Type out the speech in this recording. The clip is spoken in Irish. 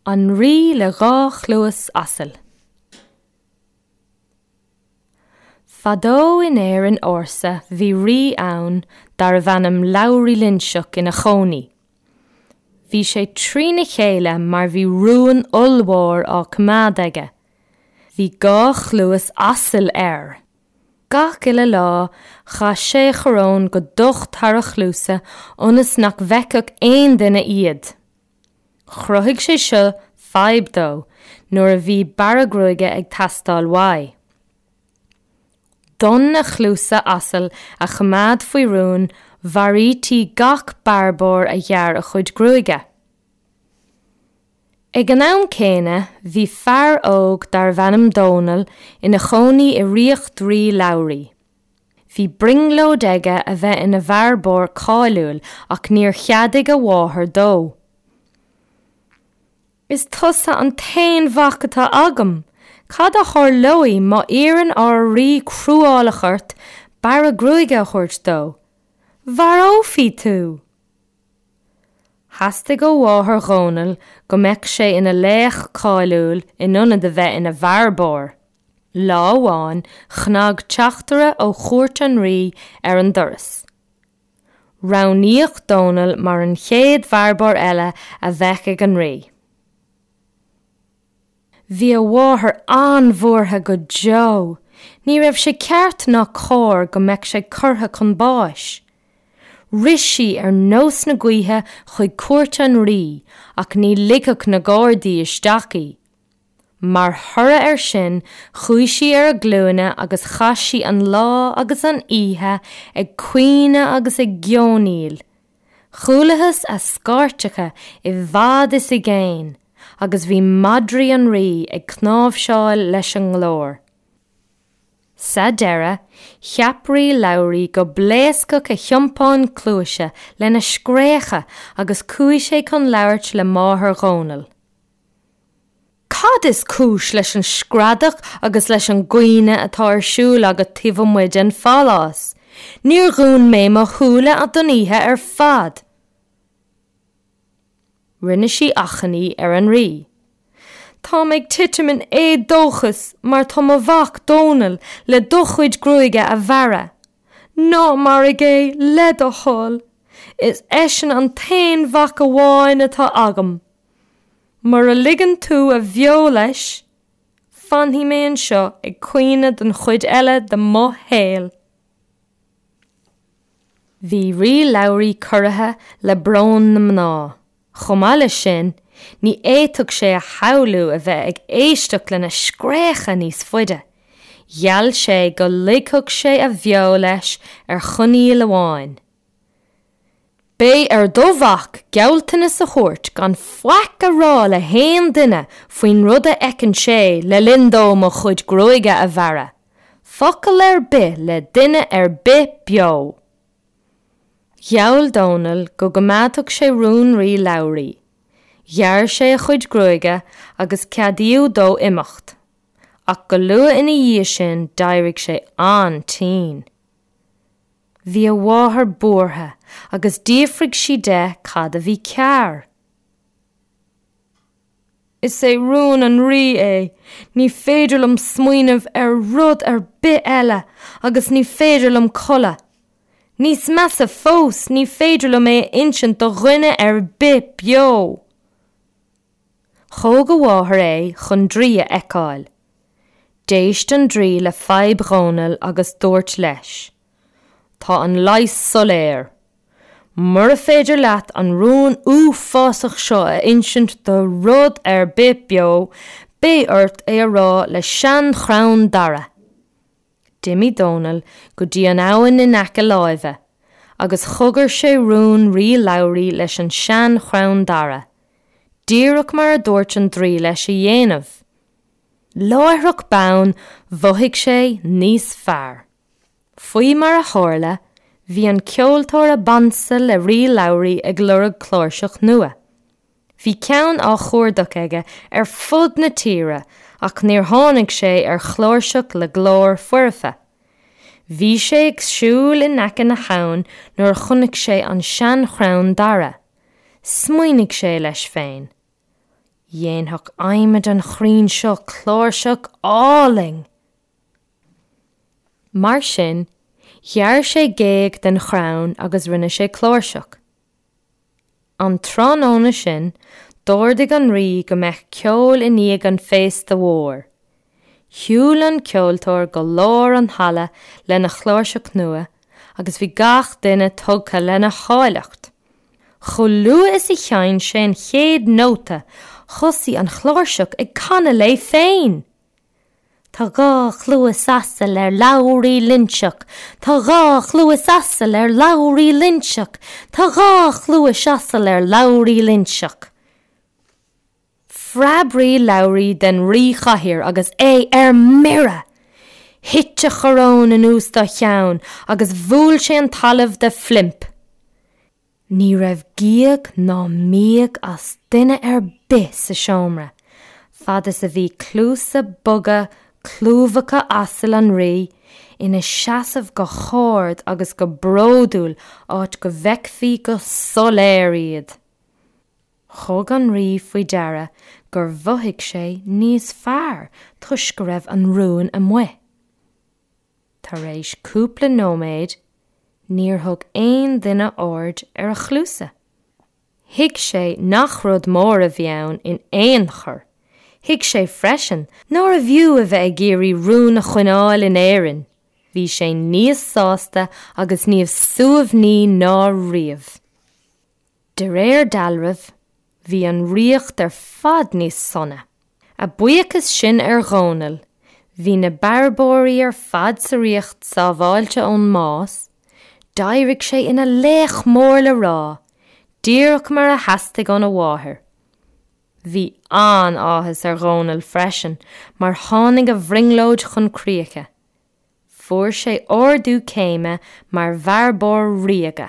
An Rí le Dha Chluas Asail. Fadó in Éirinn ársa bhí rí ann darbh ainm Labhraí Loinseach ina chónaí. Bhí sé trína chéile mar bhí rún ollmhór á coimeád aige. Bhí dha chluas asail air. Gach uile lá chaith sé a choróin go docht thar a chluasa ionas nach bhfeicfeadh aon duine iad. Chruthaigh sé seo fadhb dó nuair a bhí bearradh gruaige ag teastáil uaidh. D'fhonn a chluasa asail a choimeád faoi rún, mharaítí gach bearbóir a ghearr a chuid gruaige. Ag an am céanna, bhí fear óg darbh ainm Dónall ina chónaí i ríocht Rí Labhraí. Bhí brionglóid aige a bheith ina bhearbóir cáiliúil ach níor cheadaigh a mháthair dó. Is tusa an t-aon mhac atá agam! Cad a tharlóidh má iarrann ár rí cruálach ort bearradh gruaige a thabhairt dó? Mharófaí tú! Theastaigh ó mháthair Dhónaill go mbeadh sé ina laoch cáiliúil in ionad a bheith ina bhearbóir. Lá amháin chnag teachtaire ó chúirt an rí ar an doras. Roghnaíodh Dónall mar an chéad bhearbóir eile a bheadh ag an rí. Bhí a mháthair an-bhuartha go deo. Ní raibh sé ceart ná cóir go mbeadh sé curtha chun báis. Rith sí ar nós na gaoithe chuig cúirt an rí ach ní ligfeadh na gardaí isteach í. Mar thoradh air sin chuaigh sí ar a glúine agus chaith sí an lá agus an oíche ag caoineadh agus ag geonaíl. Chualathas a scairteacha i bhfad is i gcéin agus bhí madraí an rí ag cnáimhseáil leis an nglór. Sa deireadh, cheap Rí Labhraí go bpléascfadh a thiompán cluaise lena scréacha agus chuaigh sé chun labhairt le máthair Dhónaill. Cad is cúis leis an screadach agus leis an gcaoineadh atá ar siúl agat taobh amuigh den phalás? Níor dhún mé mo shúile don oíche ar fad! Rinne sí achainí ar an rí. Táim ag titim in éadóchas mar tá mo mhac, Dónall, le do chuid gruaige a bhearradh. Ná maraigh é, le do thoil! Is eisean an t-aon mhac amháin atá agam. Mura ligeann tú a bheo leis, fanfaidh mé anseo ag caoineadh don chuid eile de mo shaol. Bhí Rí Labhraí corraithe le brón na mná. Chomh maith leis sin, ní fhéadfadh sé a shamhlú a bheith ag éisteacht lena scréacha níos faide. Gheall sé go ligfeadh sé a bheo leis ar choinníoll amháin. Beidh ar do mhac gealltanas a thabhairt gan faic a rá le haon duine faoin rud a fheiceann sé le linn dó mo chuid gruaige a bhearradh. Focal ar bith le duine ar bith beo. Gheall Dónall go gcoimeádfadh sé rún Rí Labhraí. Ghearr sé a chuid gruaige agus ceadaíodh dó imeacht. Ach go luath ina dhiaidh sin d'éirigh sé an-tinn. Bhí a mháthair buartha agus d'fhiafraigh sí de cad a bhí cearr. Is é rún an rí é, ní féidir liom smaoineamh ar rud ar bith eile agus ní féidir liom codladh. Níos measa fós, ní féidir liom é a insint do dhuine ar bith beo! Thóg a mháthair é chun draoi a fheiceáil. D'éist an draoi le fadhb Dhónaill agus dúirt leis, Tá an leigheas soiléir. Mura féidir leat an rún uafásach seo a insint do rud ar bith beo, beidh ort é a rá le seanchrann dara. D'imigh Dónall go dtí an abhainn in aice láimhe agus chogair sé rún Rí Labhraí leis an seanchrann dara, díreach mar a dúirt an draoi leis a dhéanamh. Láithreach bonn mhothaigh sé níos fearr. Faoi mar a tharla, bhí an ceoltóir ab ansa le Rí Labhraí ag lorg cláirseach nua. Bhí ceann á chuardach aige ar fud na tíre ach níor tháinig sé ar chláirseach le glór foirfe. Bhí sé ag siúl in aice na habhann nuair a chonaic sé an seanchrann dara. Smaoinigh sé leis féin. Dhéanfadh adhmad an chrainn seo cláirseach álainn! Mar sin, ghearr sé géag den chrann agus rinne sé cláirseach. An tráthnóna sin, d'ordaigh an rí go mbeadh ceol i ndiaidh an féasta mhóir. Shiúil an ceoltóir go lár an halla lena chláirseach nua agus bhí gach duine tugtha lena háilleacht. Chomh luath is a sheinn sé an chéad nóta, thosaigh an chláirseach ag canadh léi féin! Tá dhá chluas asail ar Labhraí Loinseach, Tá dhá chluas asail ar Labhraí Loinseach, Tá dhá chluais asail ar Labhraí Loinseach. Phreab Rí Labhraí den ríchathaoir agus é ar mire! Thit a choróin anuas dá cheann agus bhuail sé an talamh de phlimp. Ní raibh gíog ná míog as duine ar bith sa seomra, fad is a bhí cluasa boga clúmhacha asail an rí ina seasamh go hard agus go bródúil áit go bhfeicfí go soiléir iad. Thug an rí faoi deara gur mhothaigh sé níos fearr toisc go raibh an rún amuigh. Tar éis cúpla nóiméad, níor thug aon duine aird ar a chluasa. Thuig sé nach rud mór a bhí ann in aon chor. Thuig sé freisin nárbh fhiú a bheith ag iarraidh rún a choinneáil in Éirinn. Bhí sé níos sásta agus níos suaimhní ná riamh. De réir dealraimh, bhí an ríocht ar fad níos sona. A bhuíochas sin ar Dhónall, bhí na bearbóirí ar fad sa ríocht sábháilte ón mbás, d'éirigh sé ina laoch mór le rá, díreach mar a theastaigh óna mháthair. Bhí an-áthas ar Dhónall freisin mar tháinig a bhrionglóid chun críche. Fuair sé ardú céime mar bhearbóir ríoga.